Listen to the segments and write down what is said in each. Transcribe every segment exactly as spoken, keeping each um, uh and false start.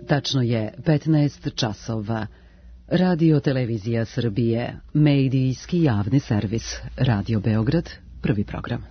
Tačno je petnaest časova. Radio Televizija Srbije, medijski javni servis, Radio Beograd, prvi program.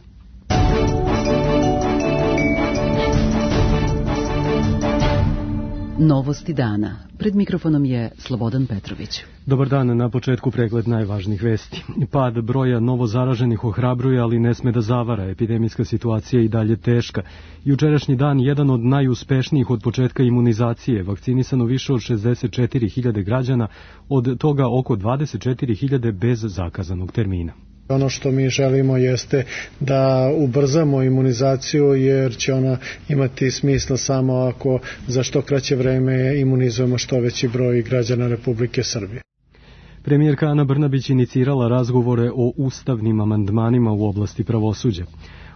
Novosti dana. Pred mikrofonom je Slobodan Petrović. Dobar dan, na početku pregled najvažnijih vesti. Pad broja novozaraženih ohrabruje, ali ne sme da zavara. Epidemijska situacija je i dalje teška. Jučerašnji dan jedan od najuspešnijih od početka imunizacije. Vakcinisano više od šezdeset četiri hiljade građana, od toga oko dvadeset četiri hiljade bez zakazanog termina. Ono što mi želimo jeste da ubrzamo imunizaciju, jer će ona imati smisla samo ako za što kraće vreme imunizujemo što veći broj građana Republike Srbije. Premijerka Ana Brnabić inicirala razgovore o ustavnim amandmanima u oblasti pravosuđa.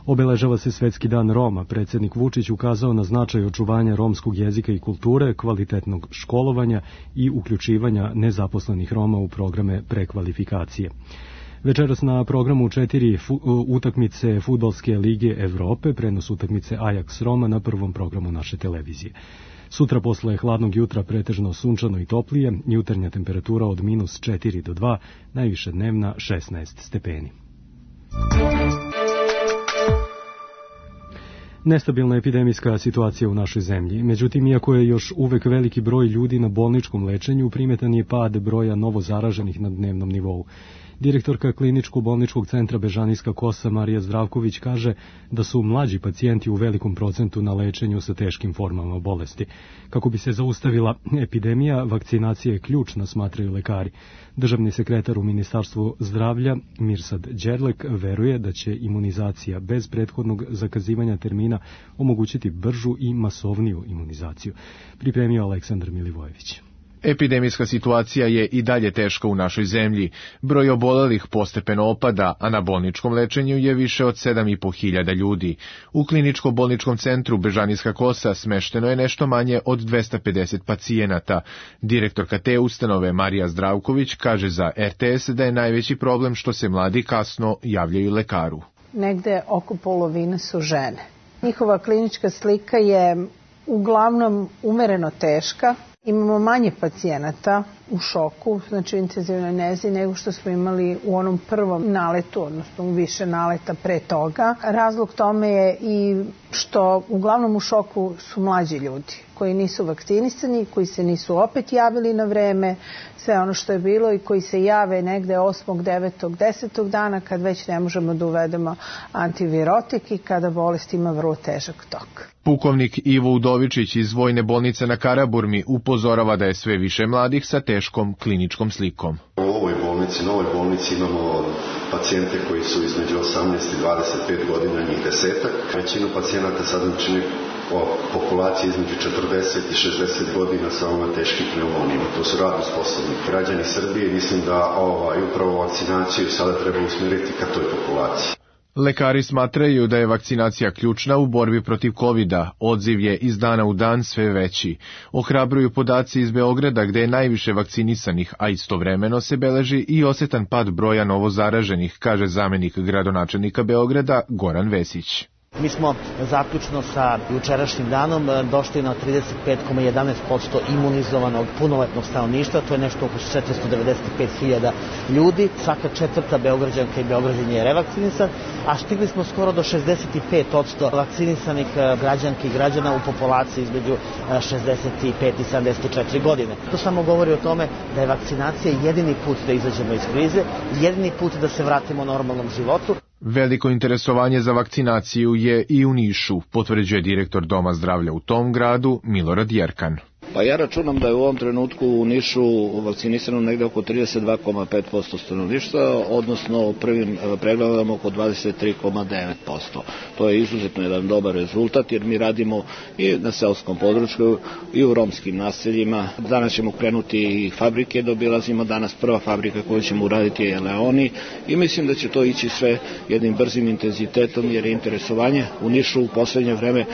Obeležava se Svetski dan Roma. Predsjednik Vučić ukazao na značaj očuvanja romskog jezika i kulture, kvalitetnog školovanja i uključivanja nezaposlenih Roma u programe prekvalifikacije. Večeras na programu četiri fu, utakmice Fudbalske lige Evrope, prenos utakmice Ajax Roma na prvom programu naše televizije. Sutra posle hladnog jutra pretežno sunčano i toplije, jutarnja temperatura od minus četiri do dva, najviše dnevna šesnaest stepeni. Nestabilna epidemijska situacija u našoj zemlji. Međutim, iako je još uvek veliki broj ljudi na bolničkom lečenju, primetan je pad broja novozaraženih na dnevnom nivou. Direktorka kliničko-bolničkog centra Bežanijska Kosa Marija Zdravković kaže da su mlađi pacijenti u velikom procentu na lečenju sa teškim formama bolesti. Kako bi se zaustavila epidemija, vakcinacija je ključna, smatraju lekari. Državni sekretar u Ministarstvu zdravlja Mirsad Đerlek veruje da će imunizacija bez prethodnog zakazivanja termina omogućiti bržu i masovniju imunizaciju. Pripremio Aleksandar Milivojević. Epidemijska situacija je i dalje teška u našoj zemlji. Broj obolelih postepeno opada, a na bolničkom lečenju je više od sedam i po hiljada ljudi. U kliničko-bolničkom centru Bežanijska Kosa smešteno je nešto manje od dvesta pedeset pacijenata. Direktorka te ustanove Marija Zdravković kaže za er te es da je najveći problem što se mladi kasno javljaju lekaru. Negde oko polovine su žene. Njihova klinička slika je uglavnom umereno teška. Imamo manje pacijenata u šoku, znači u intenzivnoj nezi, nego što smo imali u onom prvom naletu, odnosno u više naleta pre toga. Razlog tome je i što uglavnom u šoku su mlađi ljudi koji nisu vakcinisani, koji se nisu opet javili na vreme, sve ono što je bilo i koji se jave negde osmog, devetog, desetog dana kad već ne možemo da uvedemo antivirotik i kada bolest ima vrlo težak tok. Pukovnik Ivo Udovičić iz Vojne bolnice na Karaburmi upozorava da je sve više mladih sa teškom kliničkom slikom. U ovoj bolnici, novoj bolnici imamo pacijente koji su između osamnaest i dvadeset pet godina, njih desetak. Većinu pacijenata sad čini populacije između četrdeset i šezdeset godina sa ovima teškim pneumonijama. To su radno sposobni građani Srbije. Mislim da ovaj, upravo vakcinaciju sada treba usmjeriti ka toj populaciji. Lekari smatraju da je vakcinacija ključna u borbi protiv kovida. Odziv je iz dana u dan sve veći. Ohrabruju podaci iz Beograda gde je najviše vakcinisanih, a istovremeno se beleži i osetan pad broja novozaraženih, kaže zamenik gradonačelnika Beograda Goran Vesić. Mi smo zaključno sa jučerašnjim danom došli na trideset pet zarez jedanaest posto imunizovanog punoletnog stanovništva, to je nešto oko četiristo devedeset pet hiljada ljudi. Svaka četvrta Beograđanka i Beograđan je revakcinisan, a stigli smo skoro do šezdeset pet posto vakcinisanih građanki i građana u populaciji između šezdeset pet i sedamdeset četiri godine. To samo govori o tome da je vakcinacija jedini put da izađemo iz krize, jedini put da se vratimo normalnom životu. Veliko interesovanje za vakcinaciju je i u Nišu, potvrđuje direktor Doma zdravlja u tom gradu Milorad Jerkan. Pa ja računam da je u ovom trenutku u Nišu vakcinisano negde oko trideset dva zarez pet posto stanovništva, odnosno u prvim pregledama oko dvadeset tri zarez devet posto. To je izuzetno jedan dobar rezultat jer mi radimo i na seoskom području i u romskim naseljima. Danas ćemo krenuti i fabrike, dobilazimo danas prva fabrika koju ćemo uraditi je Leoni i mislim da će to ići sve jednim brzim intenzitetom jer je interesovanje u Nišu u poslednje vreme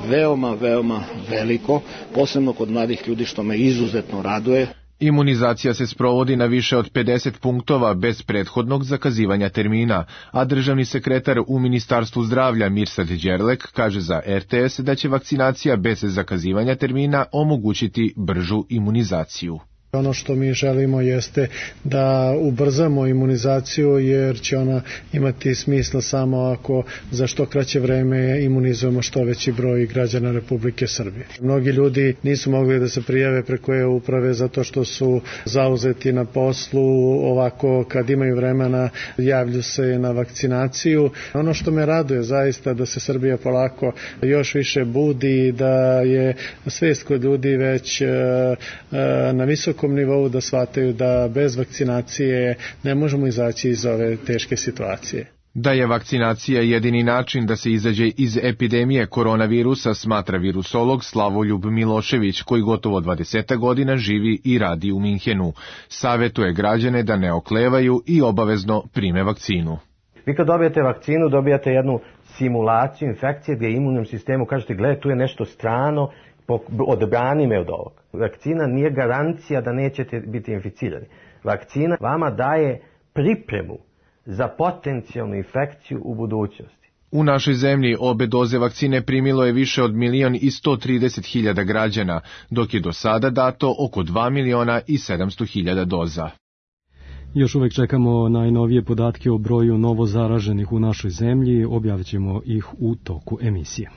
veoma, veoma veliko, posebno kod mladih ljudi što me izuzetno raduje. Imunizacija se sprovodi na više od pedeset punktova bez prethodnog zakazivanja termina, a državni sekretar u Ministarstvu zdravlja Mirsad Đerlek kaže za er te es da će vakcinacija bez zakazivanja termina omogućiti bržu imunizaciju. Ono što mi želimo jeste da ubrzamo imunizaciju jer će ona imati smisla samo ako za što kraće vreme imunizujemo što veći broj građana Republike Srbije. Mnogi ljudi nisu mogli da se prijave preko e-uprave zato što su zauzeti na poslu, ovako kad imaju vremena javlju se na vakcinaciju. Ono što me raduje zaista da se Srbija polako još više budi i da je svest kod ljudi već na visokom nivou da shvataju da bez vakcinacije ne možemo izaći iz ove teške situacije. Da je vakcinacija jedini način da se izađe iz epidemije koronavirusa, smatra virusolog Slavoljub Milošević, koji gotovo dvadeset godina živi i radi u Minhenu. Savetuje građane da ne oklevaju i obavezno prime vakcinu. Vi kad dobijete vakcinu, dobijate jednu simulaciju infekcije gdje imunnom sistemu kažete, gledaj, tu je nešto strano, odbrani me od ovog. Vakcina nije garancija da nećete biti inficirani. Vakcina vama daje pripremu za potencijalnu infekciju u budućnosti. U našoj zemlji obe doze vakcine primilo je više od milion i sto trideset hiljada građana, dok je do sada dato oko dva miliona i sedamsto hiljada doza. Još uvek čekamo najnovije podatke o broju novozaraženih u našoj zemlji, objavit ćemo ih u toku emisije.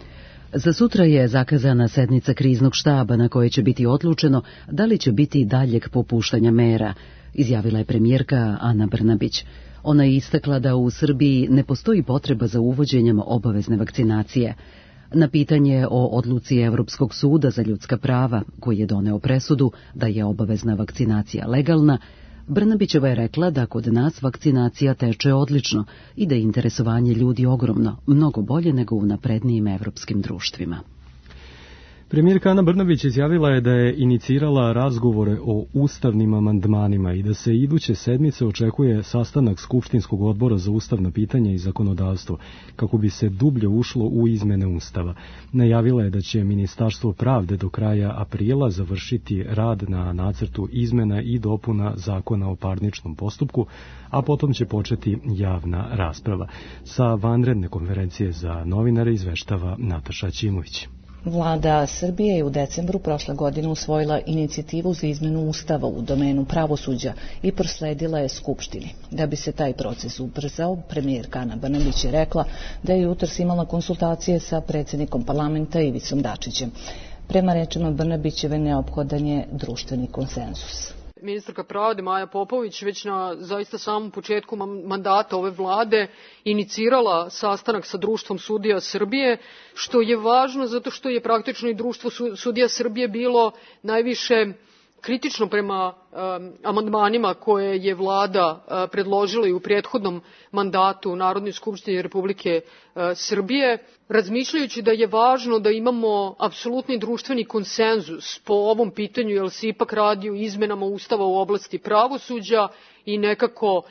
Za sutra je zakazana sednica kriznog štaba na kojoj će biti odlučeno da li će biti daljeg popuštanja mera, izjavila je premijerka Ana Brnabić. Ona je istakla da u Srbiji ne postoji potreba za uvođenjem obavezne vakcinacije. Na pitanje o odluci Evropskog suda za ljudska prava, koji je doneo presudu da je obavezna vakcinacija legalna, Brnabićeva je rekla da kod nas vakcinacija teče odlično i da je interesovanje ljudi ogromno, mnogo bolje nego u naprednijim evropskim društvima. Premijerka Ana Brnabić izjavila je da je inicirala razgovore o ustavnim amandmanima i da se iduće sedmice očekuje sastanak Skupštinskog odbora za ustavna pitanja i zakonodavstvo, kako bi se dublje ušlo u izmene Ustava. Najavila je da će Ministarstvo pravde do kraja aprila završiti rad na nacrtu izmena i dopuna Zakona o parničnom postupku, a potom će početi javna rasprava. Sa vanredne konferencije za novinare izveštava Nataša Ćimović. Vlada Srbije je u decembru prošle godine usvojila inicijativu za izmenu Ustava u domenu pravosuđa i prosledila je Skupštini. Da bi se taj proces ubrzao, premijerka Ana Brnabić je rekla da je jutros imala konsultacije sa predsjednikom parlamenta Ivicom Dačićem. Prema rečima Brnabićeve neophodan je društveni konsenzus. Ministarka pravde Maja Popović već na zaista samom početku mandata ove vlade inicirala sastanak sa Društvom sudija Srbije, što je važno zato što je praktično i Društvo sudija Srbije bilo najviše kritično prema um, amandmanima koje je vlada uh, predložila i u prethodnom mandatu u Narodnoj skupštini Republike uh, Srbije, razmišljajući da je važno da imamo apsolutni društveni konsenzus po ovom pitanju, jer se ipak radi o izmenama Ustava u oblasti pravosuđa i nekako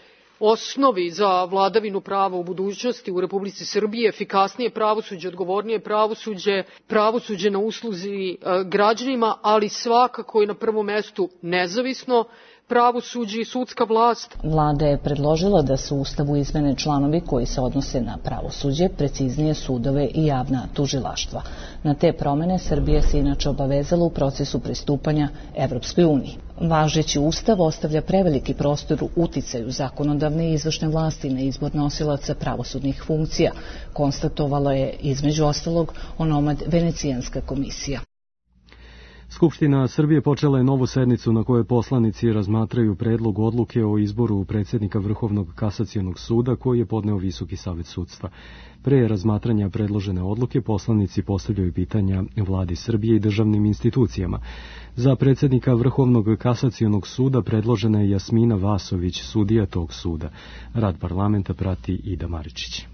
osnovi za vladavinu prava u budućnosti u Republici Srbiji, efikasnije pravosuđe, odgovornije pravosuđe, pravosuđe na usluzi građanima, ali svakako i na prvom mestu nezavisno pravosuđe i sudska vlast. Vlada je predložila da se u Ustavu izmene članovi koji se odnose na pravosuđe, preciznije sudove i javna tužilaštva. Na te promene Srbija se inače obavezala u procesu pristupanja Evropskoj uniji. Važeći Ustav ostavlja preveliki prostor u uticaju zakonodavne i izvršne vlasti na izbor nosilaca pravosudnih funkcija, konstatovala je između ostalog onomad Venecijanska komisija. Skupština Srbije počela je novu sednicu na kojoj poslanici razmatraju predlog odluke o izboru predsjednika Vrhovnog kasacionog suda koji je podneo Visoki savet sudstva. Pre razmatranja predložene odluke poslanici postavljaju pitanja vladi Srbije i državnim institucijama. Za predsjednika Vrhovnog kasacionog suda predložena je Jasmina Vasović, sudija tog suda. Rad parlamenta prati Ida Maričić.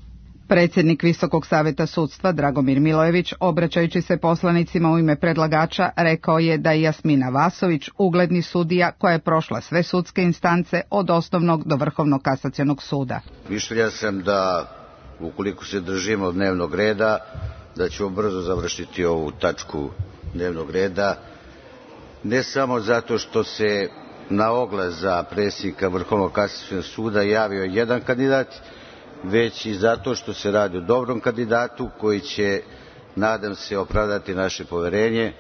Predsjednik Visokog saveta sudstva Dragomir Milojević, obraćajući se poslanicima u ime predlagača, rekao je da je Jasmina Vasović ugledni sudija koja je prošla sve sudske instance od osnovnog do Vrhovnog kasacionog suda. Mišljenja sam da, ukoliko se držimo dnevnog reda, da ćemo brzo završiti ovu tačku dnevnog reda, ne samo zato što se na oglas za predsjednika Vrhovnog kasacionog suda javio jedan kandidat, već i zato što se radi o dobrom kandidatu koji će, nadam se, opravdati naše poverenje,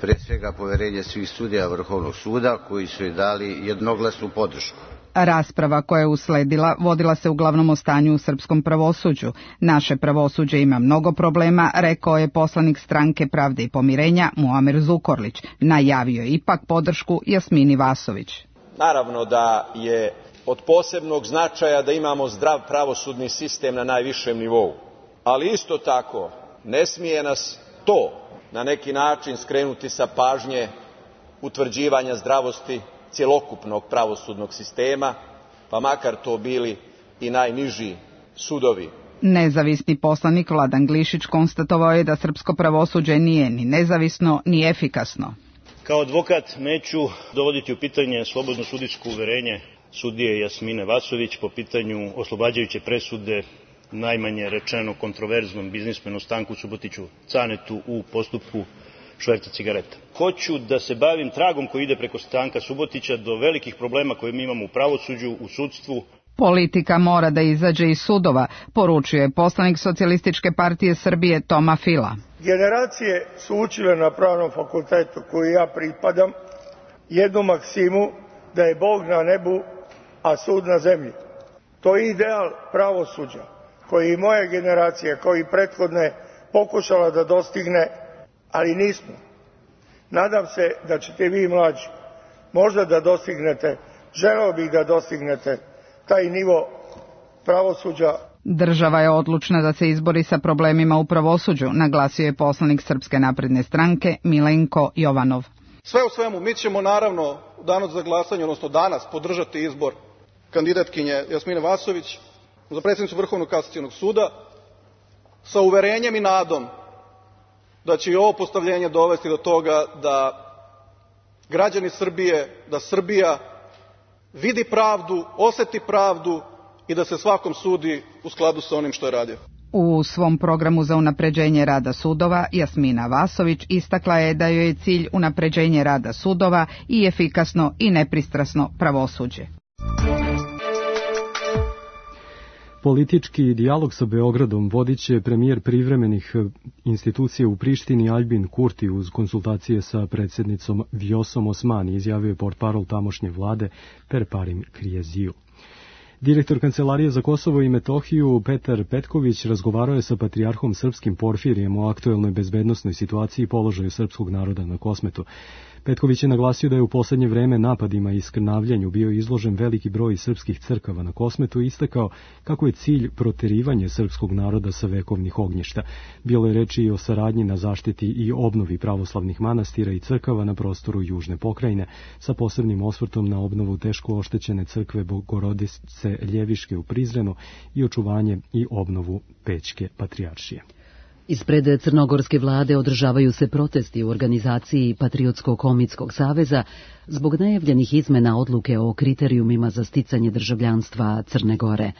pre svega poverenje svih sudija Vrhovnog suda koji su joj dali jednoglasnu podršku. Rasprava koja je usledila vodila se uglavnom o stanju u srpskom pravosuđu. Naše pravosuđe ima mnogo problema, rekao je poslanik Stranke Pravde i pomirenja Muamer Zukorlić. Najavio je ipak podršku Jasmini Vasović. Naravno da je od posebnog značaja da imamo zdrav pravosudni sistem na najvišem nivou, ali isto tako ne smije nas to na neki način skrenuti sa pažnje utvrđivanja zdravosti cjelokupnog pravosudnog sistema, pa makar to bili i najniži sudovi. Nezavisni poslanik Vladan Glišić konstatovao je da srpsko pravosuđe nije ni nezavisno ni efikasno. Kao advokat neću dovoditi u pitanje slobodno sudijsko uverenje sudije Jasmine Vasović po pitanju oslobađajuće presude najmanje rečeno kontroverznom biznismenu Stanku Subotiću Canetu u postupku šverca cigareta. Hoću da se bavim tragom koji ide preko Stanka Subotića do velikih problema koje mi imamo u pravosuđu, u sudstvu. Politika mora da izađe iz sudova, poručio je poslanik Socijalističke partije Srbije Toma Fila. Generacije su učile na pravnom fakultetu koju ja pripadam jednu maksimu da je Bog na nebu, a sud na zemlji. To je ideal pravosuđa koji i moja generacija, kao i prethodne, pokušala da dostigne, ali nismo. Nadam se da ćete vi mlađi možda da dostignete, želeo bih da dostignete taj nivo pravosuđa. Država je odlučna da se izbori sa problemima u pravosuđu, naglasio je poslanik Srpske napredne stranke Milenko Jovanov. Sve u svemu, mi ćemo naravno u danu za glasanje, odnosno danas, podržati izbor kandidatkinje Jasmine Vasović za predsjednicu Vrhovnog kasacionog suda sa uverenjem i nadom da će i ovo postavljenje dovesti do toga da građani Srbije, da Srbija vidi pravdu, oseti pravdu i da se svakom sudi u skladu sa onim što je radio. U svom programu za unapređenje rada sudova Jasmina Vasović istakla je da joj je cilj unapređenje rada sudova i efikasno i nepristrasno pravosuđe. Politički dijalog sa Beogradom vodit će premijer privremenih institucija u Prištini Aljbin Kurti uz konsultacije sa predsjednicom Vjosom Osmani, izjavio je portparol tamošnje vlade Perparim Krijeziju. Direktor Kancelarije za Kosovo i Metohiju Petar Petković razgovarao je sa patrijarhom srpskim Porfirijem o aktuelnoj bezbednosnoj situaciji i položaju srpskog naroda na Kosmetu. Petković je naglasio da je u poslednje vreme napadima i skrnavljanju bio izložen veliki broj srpskih crkava na Kosmetu i istakao kako je cilj proterivanje srpskog naroda sa vekovnih ognjišta. Bilo je reči i o saradnji na zaštiti i obnovi pravoslavnih manastira i crkava na prostoru Južne pokrajine, sa posebnim osvrtom na obnovu teško oštećene crkve Bogorodice Ljeviške u Prizrenu i očuvanje i obnovu Pećke patrijaršije. Ispred crnogorske vlade održavaju se protesti u organizaciji Patriotsko-komitskog saveza zbog najavljenih izmena odluke o kriterijumima za sticanje državljanstva Crne Gore.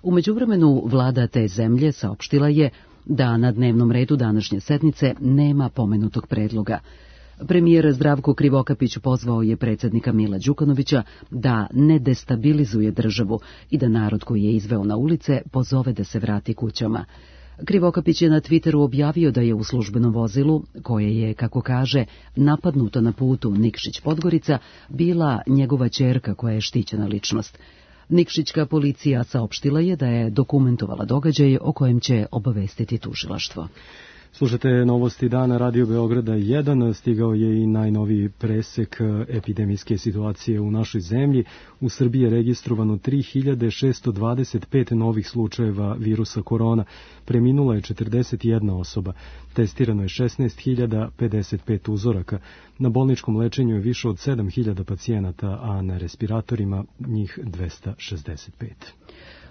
U međuvremenu vlada te zemlje saopštila je da na dnevnom redu današnje sednice nema pomenutog predloga. Premijer Zdravko Krivokapić pozvao je predsjednika Mila Đukanovića da ne destabilizuje državu i da narod koji je izveo na ulice pozove da se vrati kućama. Krivokapić je na Twitteru objavio da je u službenom vozilu, koje je, kako kaže, napadnuto na putu Nikšić-Podgorica, bila njegova ćerka koja je štićena ličnost. Nikšićka policija saopštila je da je dokumentovala događaj o kojem će obavestiti tužilaštvo. Slušate novosti dana Radio Beograda jedan, stigao je i najnoviji presek epidemijske situacije u našoj zemlji. U Srbiji je registrovano tri hiljade šesto dvadeset pet novih slučajeva virusa korona, preminula je četrdeset jedna osoba, testirano je šesnaest hiljada pedeset pet uzoraka, na bolničkom lečenju je više od sedam hiljada pacijenata, a na respiratorima njih dvesta šezdeset pet.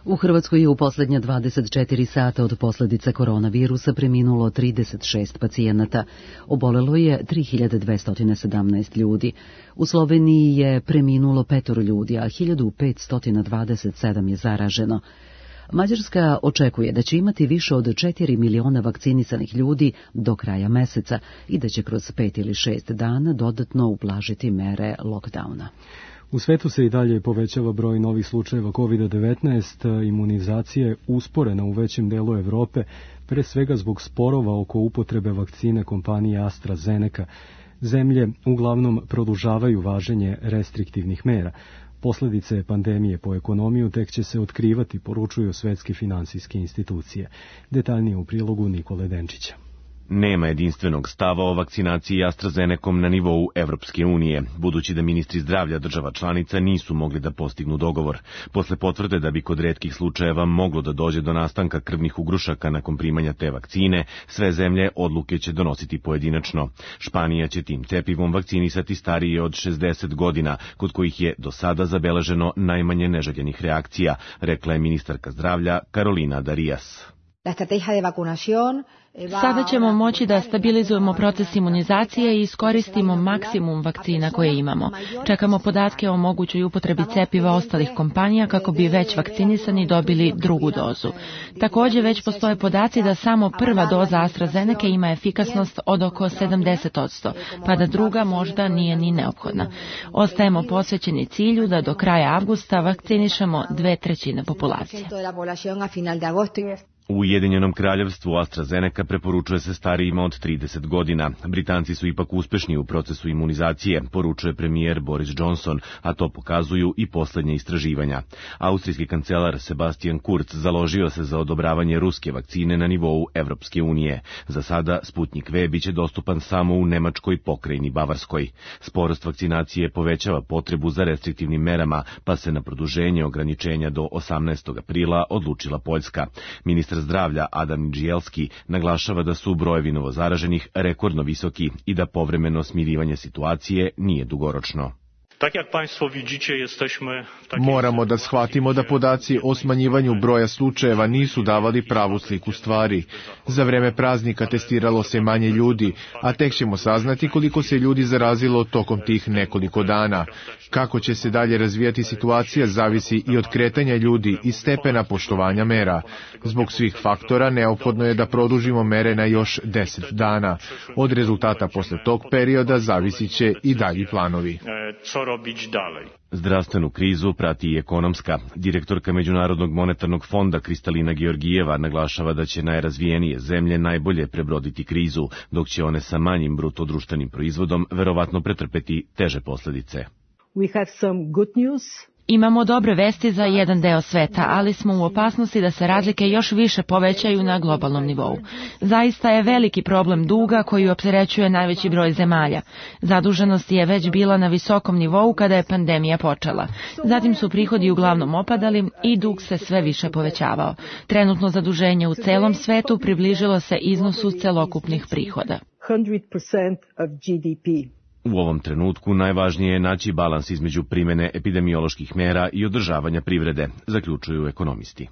U Hrvatskoj je u posljednja dvadeset četiri sata od posljedica koronavirusa preminulo trideset šest pacijenata. Obolelo je tri hiljade dvesta sedamnaest ljudi. U Sloveniji je preminulo petoro ljudi, a hiljadu petsto dvadeset sedam je zaraženo. Mađarska očekuje da će imati više od četiri miliona vakcinisanih ljudi do kraja meseca i da će kroz pet ili šest dana dodatno ublažiti mere lockdowna. U svetu se i dalje povećava broj novih slučajeva kovid devetnaest, imunizacija je usporena u većem delu Evrope, pre svega zbog sporova oko upotrebe vakcine kompanije AstraZeneca. Zemlje uglavnom produžavaju važenje restriktivnih mera. Posledice pandemije po ekonomiju tek će se otkrivati, poručuju svetske finansijske institucije. Detaljnije u prilogu Nikole Denčića. Nema jedinstvenog stava o vakcinaciji AstraZenecom na nivou Evropske unije, budući da ministri zdravlja država članica nisu mogli da postignu dogovor. Posle potvrde da bi kod retkih slučajeva moglo da dođe do nastanka krvnih ugrušaka nakon primanja te vakcine, sve zemlje odluke će donositi pojedinačno. Španija će tim cepivom vakcinisati starije od šezdeset godina, kod kojih je do sada zabeleženo najmanje neželjenih reakcija, rekla je ministarka zdravlja Carolina Darias. Sada ćemo moći da stabilizujemo proces imunizacije i iskoristimo maksimum vakcina koje imamo. Čekamo podatke o mogućoj upotrebi cepiva ostalih kompanija kako bi već vakcinisani dobili drugu dozu. Također već postoje podaci da samo prva doza AstraZeneca ima efikasnost od oko sedamdeset posto, pa da druga možda nije ni neophodna. Ostajemo posvećeni cilju da do kraja avgusta vakcinišemo dve trećine populacije. U Ujedinjenom kraljevstvu AstraZeneca preporučuje se starijima od trideset godina. Britanci su ipak uspešni u procesu imunizacije, poručuje premijer Boris Johnson, a to pokazuju i poslednje istraživanja. Austrijski kancelar Sebastian Kurz založio se za odobravanje ruske vakcine na nivou Evropske unije. Za sada Sputnik V biće dostupan samo u nemačkoj pokrajini Bavarskoj. Sporost vakcinacije povećava potrebu za restriktivnim merama, pa se na produženje ograničenja do osamnaestog aprila odlučila Poljska. Ministar zdravlja Adam Nidžielski naglašava da su brojevi novozaraženih rekordno visoki i da povremeno smirivanje situacije nije dugoročno. Moramo da shvatimo da podaci o smanjivanju broja slučajeva nisu davali pravu sliku stvari. Za vreme praznika testiralo se manje ljudi, a tek ćemo saznati koliko se ljudi zarazilo tokom tih nekoliko dana. Kako će se dalje razvijati situacija zavisi i od kretanja ljudi i stepena poštovanja mera. Zbog svih faktora neophodno je da produžimo mere na još deset dana. Od rezultata posle tog perioda zavisit će i dalji planovi. Zdravstvenu krizu prati i ekonomska. Direktorka Međunarodnog monetarnog fonda Kristalina Georgijeva naglašava da će najrazvijenije zemlje najbolje prebroditi krizu, dok će one sa manjim bruto društvenim proizvodom verovatno pretrpeti teže posledice. We have some good news. Imamo dobre vesti za jedan deo sveta, ali smo u opasnosti da se razlike još više povećaju na globalnom nivou. Zaista je veliki problem duga koji opterećuje najveći broj zemalja. Zaduženost je već bila na visokom nivou kada je pandemija počela. Zatim su prihodi uglavnom opadali i dug se sve više povećavao. Trenutno zaduženje u celom svetu približilo se iznosu celokupnih prihoda. sto posto of G D P. U ovom trenutku najvažnije je naći balans između primene epidemioloških mera i održavanja privrede, zaključuju ekonomisti.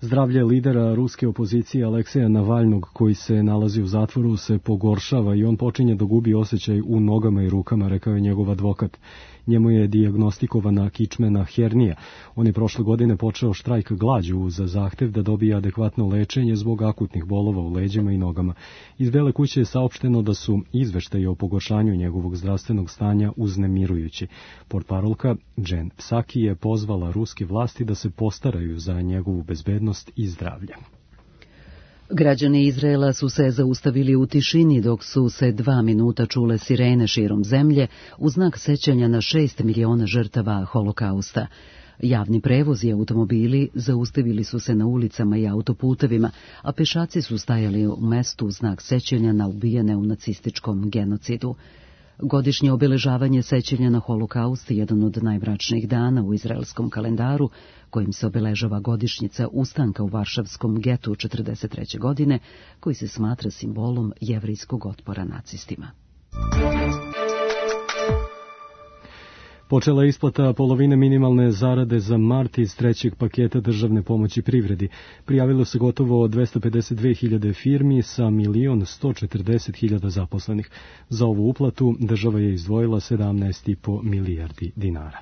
Zdravlje lidera ruske opozicije Alekseja Navalnog, koji se nalazi u zatvoru, se pogoršava i on počinje da gubi osjećaj u nogama i rukama, rekao je njegov advokat. Njemu je dijagnostikovana kičmena hernija. On je prošle godine počeo štrajk glađu za zahtev da dobije adekvatno lečenje zbog akutnih bolova u leđima i nogama. Iz Bele kuće je saopšteno da su izveštaji o pogoršanju njegovog zdravstvenog stanja uznemirujući. Portparolka Jen Psaki je pozvala ruske vlasti da se postaraju za njegovu bezbednost i zdravlje. Građani Izraela su se zaustavili u tišini dok su se dva minuta čule sirene širom zemlje u znak sećanja na šest miliona žrtava holokausta. Javni prevoz i automobili zaustavili su se na ulicama i autoputevima, a pešaci su stajali u mestu u znak sećanja na ubijene u nacističkom genocidu. Godišnje obeležavanje sećanja na holokaust je jedan od najmračnijih dana u izraelskom kalendaru, kojim se obeležava godišnjica ustanka u Varšavskom getu četrdeset treće godine, koji se smatra simbolom jevrijskog otpora nacistima. Počela je isplata polovine minimalne zarade za mart iz trećeg paketa državne pomoći privredi. Prijavilo se gotovo dvesta pedeset dve hiljade firmi sa milion sto četrdeset hiljada zaposlenih. Za ovu uplatu država je izdvojila sedamnaest i po milijardi dinara.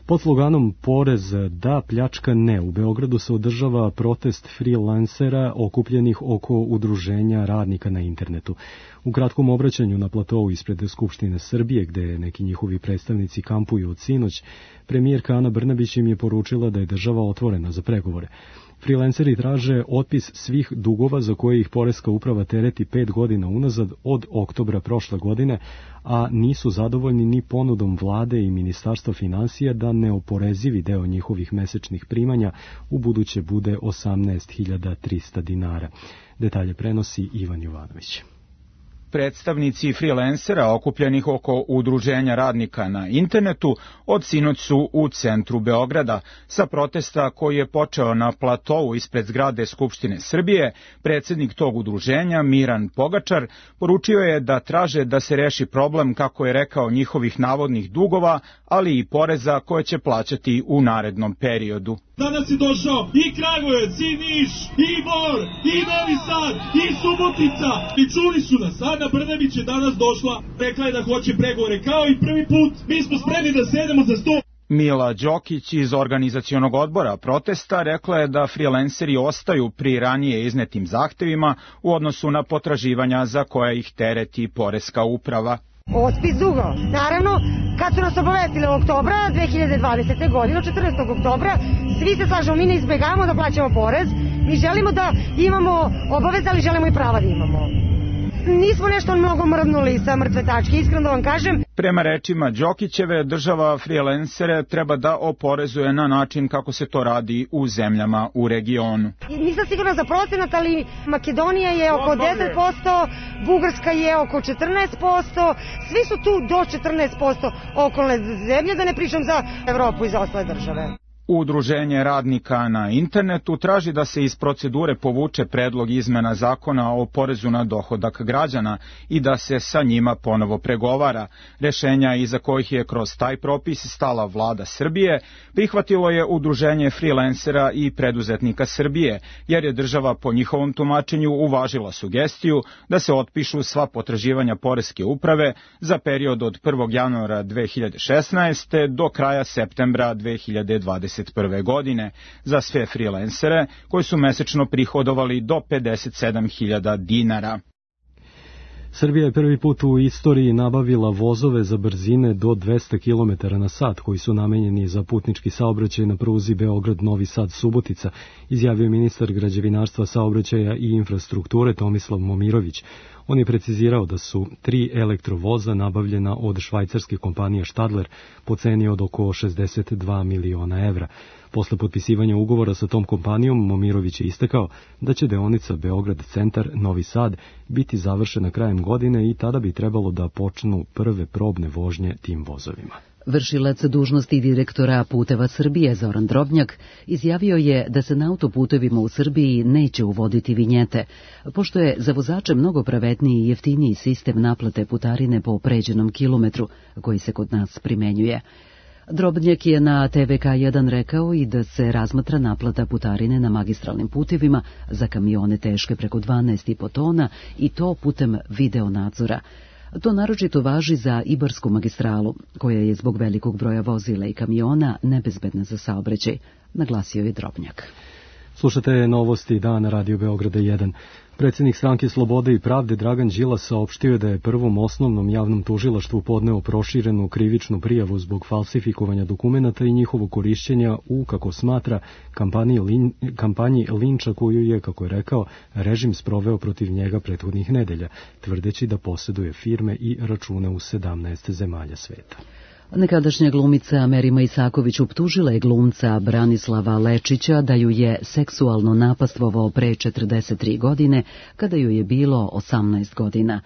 Pod sloganom Porez da, pljačka ne, u Beogradu se održava protest freelancera okupljenih oko udruženja radnika na internetu. U kratkom obraćanju na platovu ispred Skupštine Srbije, gde neki njihovi predstavnici kampuju od sinoć, premijerka Ana Brnabić im je poručila da je država otvorena za pregovore. Freelanceri traže otpis svih dugova za koje ih poreska uprava tereti pet godina unazad od oktobra prošle godine, a nisu zadovoljni ni ponudom vlade i Ministarstva finansija da neoporezivi deo njihovih mesečnih primanja u buduće bude osamnaest hiljada trista dinara. Detalje prenosi Ivan Jovanović. Predstavnici freelancera okupljenih oko udruženja radnika na internetu od sinoć su u centru Beograda. Sa protesta koji je počeo na platovu ispred zgrade Skupštine Srbije, predsednik tog udruženja Miran Pogačar poručio je da traže da se reši problem, kako je rekao, njihovih navodnih dugova, ali i poreza koje će plaćati u narednom periodu. Danas je došao i Kragujevac, i Niš, i Bor, i Novi Sad, i Subotica. I čuli su nas. Ana Brnabić je danas došla, rekla je da hoće pregovore kao i prvi put. Mi smo spremni da sedemo za sto. Mila Đokić iz organizacionog odbora protesta rekla je da freelanceri ostaju pri ranije iznetim zahtevima u odnosu na potraživanja za koja ih tereti poreska uprava. Otpis dugova. Naravno, kad su nas obavestili oktobra dve hiljade dvadesete. godine, četrnaestog oktobra, svi se slažemo, mi ne izbegavamo da plaćamo porez, mi želimo da imamo obaveze, ali želimo i prava da imamo. Nismo nešto mnogo mrvnuli sa mrtve tačke, iskreno da vam kažem. Prema rečima Đokićeve, država freelancere treba da oporezuje na način kako se to radi u zemljama u regionu. Nisam sigurna za procenat, ali Makedonija je oko deset posto, Bugarska je oko četrnaest posto, svi su tu do četrnaest posto okolne zemlje, da ne pričam za Evropu i za ostale države. Udruženje radnika na internetu traži da se iz procedure povuče predlog izmena zakona o porezu na dohodak građana i da se sa njima ponovo pregovara. Rešenja iza kojih je kroz taj propis stala vlada Srbije prihvatilo je Udruženje freelancera i preduzetnika Srbije, jer je država po njihovom tumačenju uvažila sugestiju da se otpišu sva potraživanja poreske uprave za period od prvog januara dve hiljade šesnaeste. do kraja septembra dve hiljade dvadeset prve. godine za sve freelancere koji su mesečno prihodovali do pedeset sedam hiljada dinara. Srbija je prvi put u istoriji nabavila vozove za brzine do dvesta kilometara na sat koji su namenjeni za putnički saobraćaj na pruzi Beograd-Novi Sad-Subotica, izjavio ministar građevinarstva, saobraćaja i infrastrukture Tomislav Momirović. On je precizirao da su tri elektrovoza nabavljena od švajcarske kompanije Stadler po ceni od oko šezdeset dva miliona evra. Posle potpisivanja ugovora sa tom kompanijom, Momirović je istakao da će deonica Beograd-Centar-Novi Sad biti završena krajem godine i tada bi trebalo da počnu prve probne vožnje tim vozovima. Vršilac dužnosti direktora Puteva Srbije Zoran Drobnjak izjavio je da se na autoputevima u Srbiji neće uvoditi vinjete, pošto je za vozače mnogo pravedniji i jeftiniji sistem naplate putarine po pređenom kilometru koji se kod nas primenjuje. Drobnjak je na T V K jedan rekao i da se razmatra naplata putarine na magistralnim putevima za kamione teške preko dvanaest i po tona i to putem video nadzora. To naročito važi za Ibarsku magistralu, koja je zbog velikog broja vozila i kamiona nebezbedna za saobraćaj, naglasio je Drobnjak. Slušate novosti dana Radio Beograda jedan. Predsjednik Stranke Slobode i pravde Dragan Đilas saopštio da je prvom osnovnom javnom tužilaštvu podneo proširenu krivičnu prijavu zbog falsifikovanja dokumenata i njihovog korišćenja u, kako smatra, kampanji, lin, kampanji linča koju je, kako je rekao, režim sproveo protiv njega prethodnih nedelja, tvrdeći da posjeduje firme i račune u sedamnaest zemalja sveta. Nekadašnja glumica Merima Isaković optužila je glumca Branislava Lečića da ju je seksualno napastvovao pre četrdeset tri godine, kada ju je bilo osamnaest godina.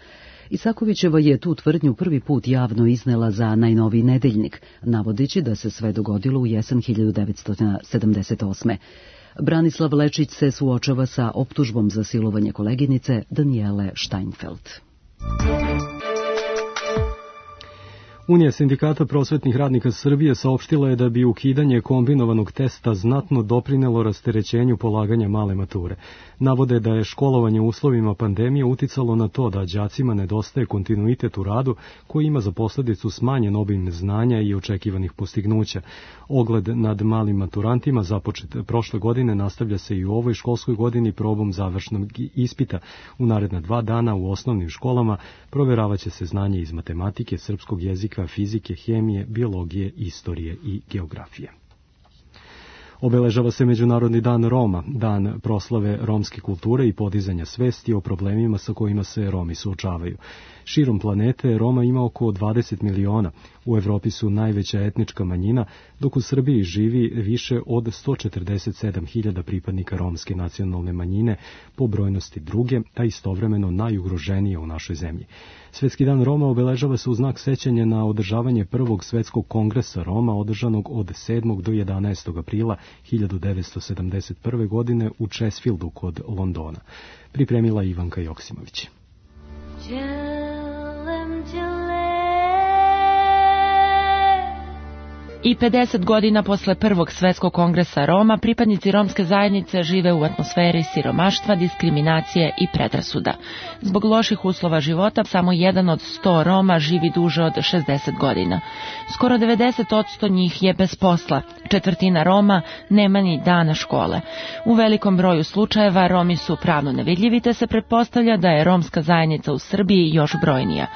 Isakovićeva je tu tvrdnju prvi put javno iznela za najnoviji nedeljnik, navodeći da se sve dogodilo u jesen hiljadu devetsto sedamdeset osme. Branislav Lečić se suočava sa optužbom za silovanje koleginice Danijele Steinfeld. Unija sindikata prosvetnih radnika Srbije saopštila je da bi ukidanje kombinovanog testa znatno doprinelo rasterećenju polaganja male mature. Navode da je školovanje u uslovima pandemije uticalo na to da đacima nedostaje kontinuitet u radu koji ima za posledicu smanjen obim znanja i očekivanih postignuća. Ogled nad malim maturantima započet prošle godine nastavlja se i u ovoj školskoj godini probom završnog ispita. U naredna dva dana u osnovnim školama proveravaće se znanje iz matematike, srpskog jezika, fizike, hemije, biologije, istorije i geografije. Obeležava se Međunarodni dan Roma, dan proslave romske kulture i podizanja svesti o problemima sa kojima se Romi suočavaju. Širom planete Roma ima oko dvadeset miliona. U Evropi su najveća etnička manjina, dok u Srbiji živi više od sto četrdeset sedam hiljada pripadnika romske nacionalne manjine, po brojnosti druge, a istovremeno najugroženije u našoj zemlji. Svetski dan Roma obeležava se u znak sećanja na održavanje prvog svetskog kongresa Roma održanog od sedmog do jedanaestog aprila hiljadu devetsto sedamdeset prve. godine u Česfieldu kod Londona. Pripremila Ivanka Joksimović. I pedeset godina posle prvog svetskog kongresa Roma, pripadnici romske zajednice žive u atmosferi siromaštva, diskriminacije i predrasuda. Zbog loših uslova života, samo jedan od sto Roma živi duže od šezdeset godina. Skoro devedeset posto njih je bez posla. Četvrtina Roma nema ni dana škole. U velikom broju slučajeva Romi su pravno nevidljivi, te se pretpostavlja da je romska zajednica u Srbiji još brojnija.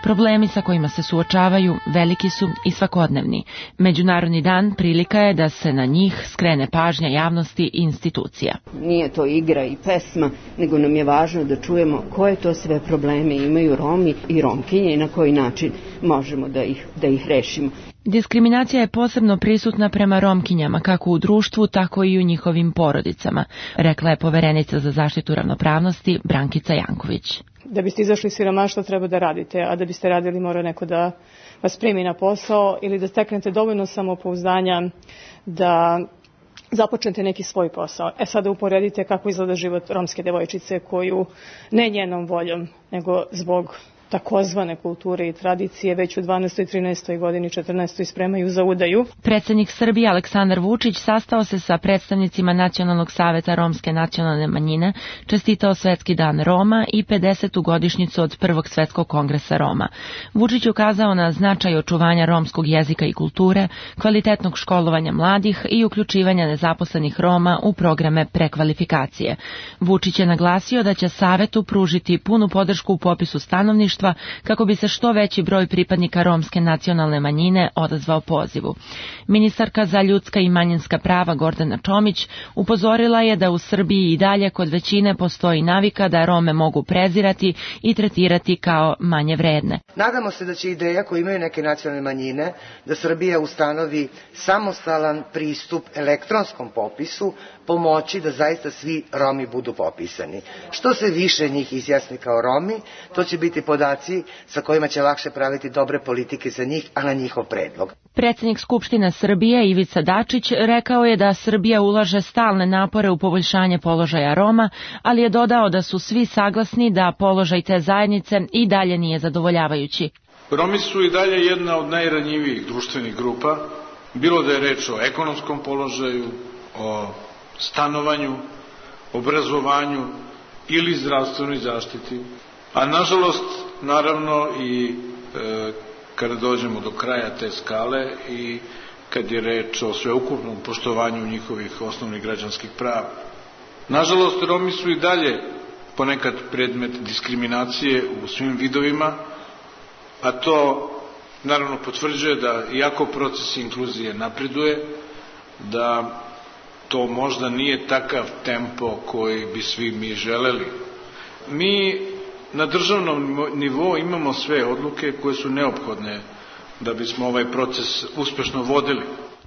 Problemi sa kojima se suočavaju veliki su i svakodnevni. Međunarodni dan prilika je da se na njih skrene pažnja javnosti i institucija. Nije to igra i pesma, nego nam je važno da čujemo koje to sve probleme imaju Romi i Romkinje i na koji način možemo da ih, da ih rešimo. Diskriminacija je posebno prisutna prema Romkinjama, kako u društvu, tako i u njihovim porodicama, rekla je poverenica za zaštitu ravnopravnosti Brankica Janković. Da biste izašli iz siromaštva treba da radite, a da biste radili mora neko da vas primi na posao ili da steknete dovoljno samopouzdanja da započnete neki svoj posao. E sada uporedite kako izgleda život romske devojčice koju ne njenom voljom, nego zbog takozvane kulture i tradicije već u dvanaestoj, trinaestoj godini, četrnaestoj spremaju za udaju. Predsjednik Srbije Aleksandar Vučić sastao se sa predstavnicima Nacionalnog saveta romske nacionalne manjine, čestitao Svetski dan Roma i pedesetu godišnjicu od prvog svetskog kongresa Roma. Vučić ukazao na značaj očuvanja romskog jezika i kulture, kvalitetnog školovanja mladih i uključivanja nezaposlenih Roma u programe prekvalifikacije. Vučić je naglasio da će Savetu pružiti punu podršku u popisu stanovništva kako bi se što veći broj pripadnika romske nacionalne manjine odazvao pozivu. Ministarka za ljudska i manjinska prava Gordana Čomić upozorila je da u Srbiji i dalje kod većine postoji navika da Rome mogu prezirati i tretirati kao manje vredne. Nadamo se da će ideja koju imaju neke nacionalne manjine da Srbija ustanovi samostalan pristup elektronskom popisu pomoći da zaista svi Romi budu popisani. Što se više njih izjasni kao Romi, to će biti podaci sa kojima će lakše praviti dobre politike za njih, a na njihov predlog. Predsjednik Skupštine Srbije Ivica Dačić rekao je da Srbija ulaže stalne napore u poboljšanje položaja Roma, ali je dodao da su svi saglasni da položaj te zajednice i dalje nije zadovoljavajući. Romi su i dalje jedna od najranjivijih društvenih grupa, bilo da je reč o ekonomskom položaju, o stanovanju, obrazovanju ili zdravstvenoj zaštiti. A nažalost, naravno i e, kada dođemo do kraja te skale i kad je reč o sveukupnom poštovanju njihovih osnovnih građanskih prava. Nažalost, Romi su i dalje ponekad predmet diskriminacije u svim vidovima, a to naravno potvrđuje da iako proces inkluzije napreduje, da to možda nije takav tempo koji bi svi mi želeli. Mi na državnom nivou imamo sve odluke koje su neophodne da bismo ovaj proces uspešno vodili.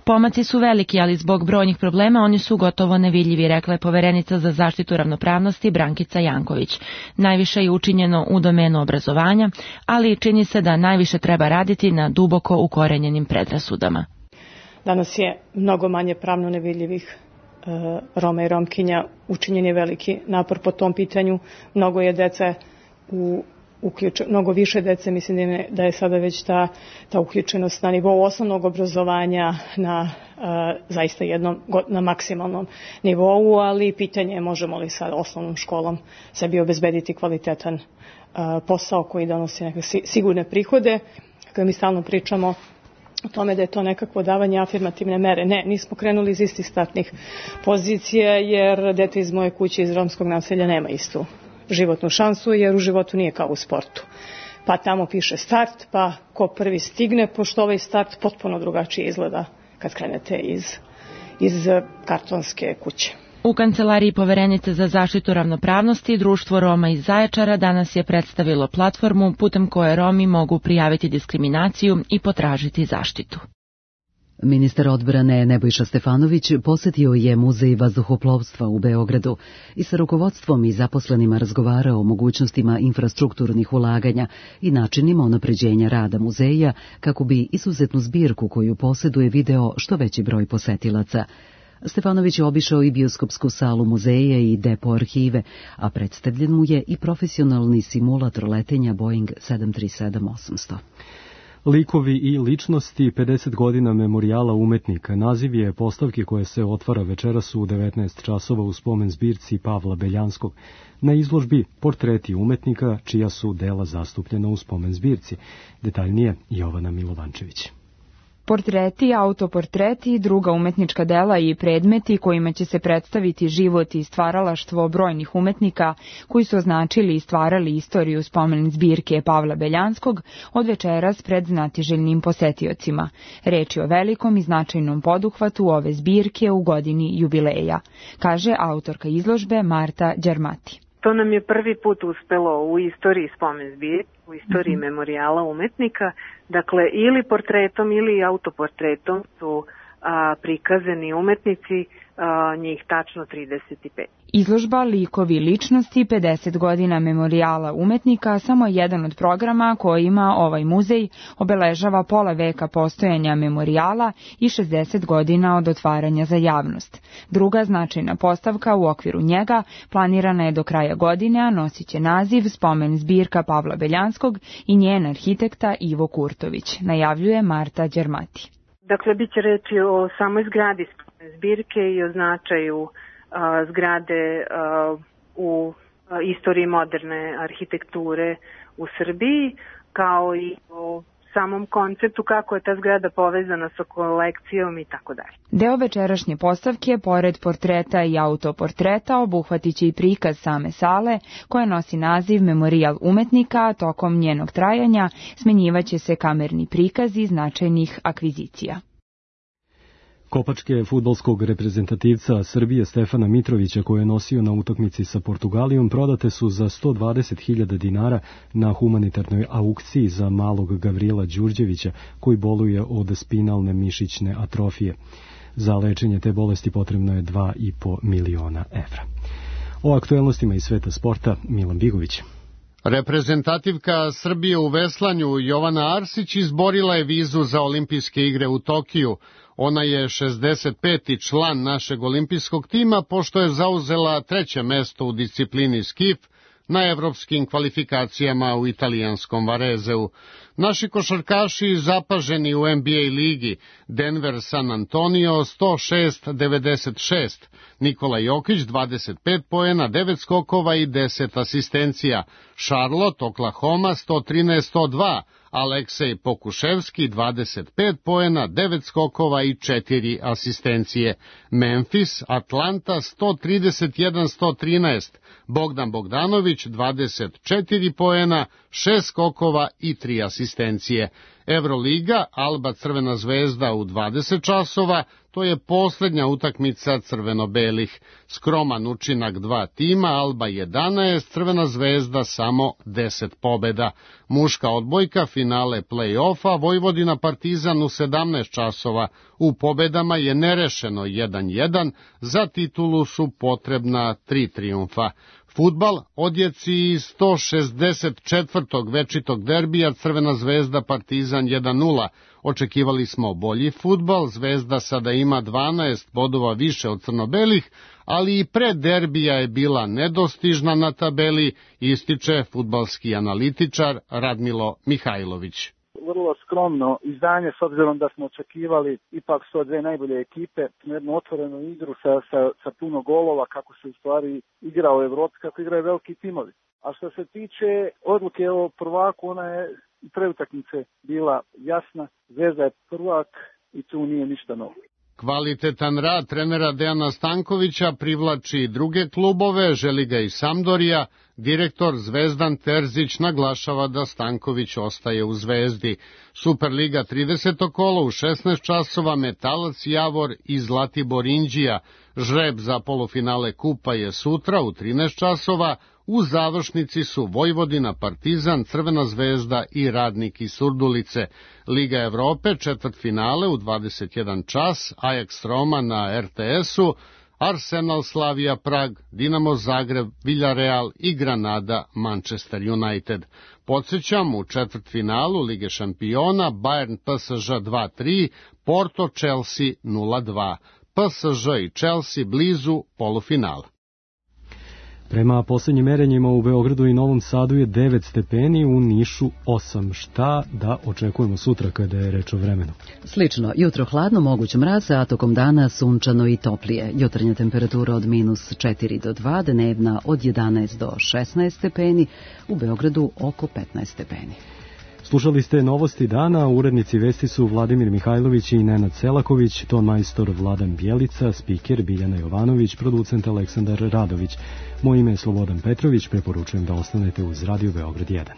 Pomaci su veliki, ali zbog brojnih problema oni su gotovo nevidljivi, rekla je poverenica za zaštitu ravnopravnosti Brankica Janković. Najviše je učinjeno u domenu obrazovanja, ali čini se da najviše treba raditi na duboko ukorenjenim predrasudama. Danas je mnogo manje pravno nevidljivih Roma i Romkinja, učinjen je veliki napor po tom pitanju. Mnogo je dece u uključe, mnogo više dece, mislim da je, da je sada već ta, ta uključenost na nivou osnovnog obrazovanja na uh, zaista jednom, na maksimalnom nivou, ali pitanje je možemo li sa osnovnom školom sebi obezbediti kvalitetan uh, posao koji donosi neke sigurne prihode. Kada mi stalno pričamo o tome da je to nekakvo davanje afirmativne mere. Ne, nismo krenuli iz istih startnih pozicija, jer dete iz moje kuće iz romskog naselja nema istu životnu šansu, jer u životu nije kao u sportu. Pa tamo piše start, pa ko prvi stigne, pošto ovaj start potpuno drugačije izgleda kad krenete iz, iz kartonske kuće. U Kancelariji poverenice za zaštitu ravnopravnosti Društvo Roma iz Zaječara danas je predstavilo platformu putem koje Romi mogu prijaviti diskriminaciju i potražiti zaštitu. Ministar odbrane Nebojša Stefanović posjetio je Muzej vazduhoplovstva u Beogradu i sa rukovodstvom i zaposlenima razgovarao o mogućnostima infrastrukturnih ulaganja i načinima unapređenja rada muzeja kako bi izuzetnu zbirku koju posjeduje video što veći broj posetilaca. Stefanović je obišao i bioskopsku salu muzeja i depo arhive, a predstavljen mu je i profesionalni simulator letenja Boeing sedam tri sedam osamsto. Likovi i ličnosti pedeset godina memorijala umetnika. Naziv je postavke koje se otvara večeras u devetnaest časova u spomen zbirci Pavla Beljanskog. Na izložbi portreti umetnika čija su dela zastupljena u spomen zbirci. Detaljnije Jovana Milovančević. Portreti, autoportreti, druga umetnička dela i predmeti kojima će se predstaviti život i stvaralaštvo brojnih umetnika koji su označili i stvarali istoriju spomen zbirke Pavla Beljanskog od večeras pred znatiželjnim posetiocima. Reč je o velikom i značajnom poduhvatu ove zbirke u godini jubileja, kaže autorka izložbe Marta Đermati. To nam je prvi put uspelo u istoriji spomen zbirke, u istoriji mm-hmm. memorijala umetnika. Dakle, ili portretom ili autoportretom su a, prikazani umetnici, a, njih tačno trideset pet. Izložba Likovi ličnosti pedeset godina memorijala umetnika samo je jedan od programa koji ima ovaj muzej, obeležava pola veka postojanja memorijala i šezdeset godina od otvaranja za javnost. Druga značajna postavka u okviru njega planirana je do kraja godine, a nosit će naziv Spomen zbirka Pavla Beljanskog i njen arhitekta Ivo Kurtović, najavljuje Marta Đermati. Dakle, bit će reći o samoj zgradi zbirke i o značaju a, zgrade a, u a, istoriji moderne arhitekture u Srbiji, kao i o samom konceptu kako je ta zgrada povezana sa kolekcijom i tako dalje. Deo večerašnje postavke, pored portreta i autoportreta, obuhvatit će i prikaz same sale, koja nosi naziv Memorijal umetnika, a tokom njenog trajanja smenjivaće se kamerni prikazi značajnih akvizicija. Kopačke fudbalskog reprezentativca Srbije Stefana Mitrovića, koje je nosio na utakmici sa Portugalijom, prodate su za sto dvadeset hiljada dinara na humanitarnoj aukciji za malog Gavrila Đurđevića, koji boluje od spinalne mišićne atrofije. Za lečenje te bolesti potrebno je dva i po miliona evra. O aktuelnostima iz sveta sporta Milan Bigović. Reprezentativka Srbije u veslanju Jovana Arsić izborila je vizu za olimpijske igre u Tokiju. Ona je šezdeset peti član našeg olimpijskog tima, pošto je zauzela treće mesto u disciplini skif na evropskim kvalifikacijama u italijanskom Varezeu. Naši košarkaši zapaženi u N B A ligi, Denver San Antonio sto šest devedeset šest, Nikola Jokić dvadeset pet poena, devet skokova i deset asistencija, Charlotte Oklahoma sto trinaest sto dva, Aleksej Pokuševski dvadeset pet poena, devet skokova i četiri asistencije, Memphis Atlanta sto trideset jedan sto trinaest, Bogdan Bogdanović dvadeset četiri poena, šest skokova i tri asistencije. Euroliga, Alba Crvena zvezda u dvadeset časova, to je posljednja utakmica crveno-belih. Skroman učinak dva tima, Alba jedanaest, Crvena zvezda samo deset pobeda. Muška odbojka, finale play-offa, Vojvodina Partizan u sedamnaest časova. U pobedama je nerešeno jedan jedan, za titulu su potrebna tri trijumfa. Fudbal, odjeci sto šezdeset četvrtog večitog derbija Crvena zvezda Partizan jedan nula. Očekivali smo bolji fudbal, Zvezda sada ima dvanaest bodova više od crnobelih, ali i pre derbija je bila nedostižna na tabeli, ističe fudbalski analitičar Radmilo Mihajlović. Vrlo skromno izdanje, s obzirom da smo očekivali ipak su dve najbolje ekipe, jednu otvorenu igru sa, sa, sa puno golova, kako se u stvari igra u Evropi, kako igraju veliki timovi. A što se tiče odluke o prvaku, ona je i pre utakmice bila jasna, Zvezda je prvak i tu nije ništa novo. Kvalitetan rad trenera Dejana Stankovića privlači druge klubove, želi ga i Sampdoria. Direktor Zvezdan Terzić naglašava da Stanković ostaje u Zvezdi. Superliga trideseto kolo u šesnaest časova, Metalac Javor i Zlatibor Inđija. Žreb za polufinale kupa je sutra u trinaest časova. U završnici su Vojvodina, Partizan, Crvena zvezda i Radnik iz Surdulice. Liga Evrope, četvrtfinale u dvadeset jedan čas, Ajax Roma na er te esu, Arsenal Slavia Prag, Dinamo Zagreb, Villarreal i Granada Manchester United. Podsjećam, u četvrtfinalu Lige šampiona Bayern P S Ž dva tri, Porto Chelsea nula dva. P S Ž i Chelsea blizu polufinala. Prema posljednjim merenjima u Beogradu i Novom Sadu je devet stepeni, u Nišu osam. Šta da očekujemo sutra kada je reč o vremenu? Slično, jutro hladno, moguć mraz, a tokom dana sunčano i toplije. Jutarnja temperatura od minus četiri do dva, dnevna od jedanaest do šesnaest stepeni, u Beogradu oko petnaest stepeni. Slušali ste novosti dana, urednici vesti su Vladimir Mihajlović i Nenad Selaković, ton majstor Vladan Bjelica, spiker Biljana Jovanović, producent Aleksandar Radović. Moje ime je Slobodan Petrović, preporučujem da ostanete uz Radio Beograd jedan.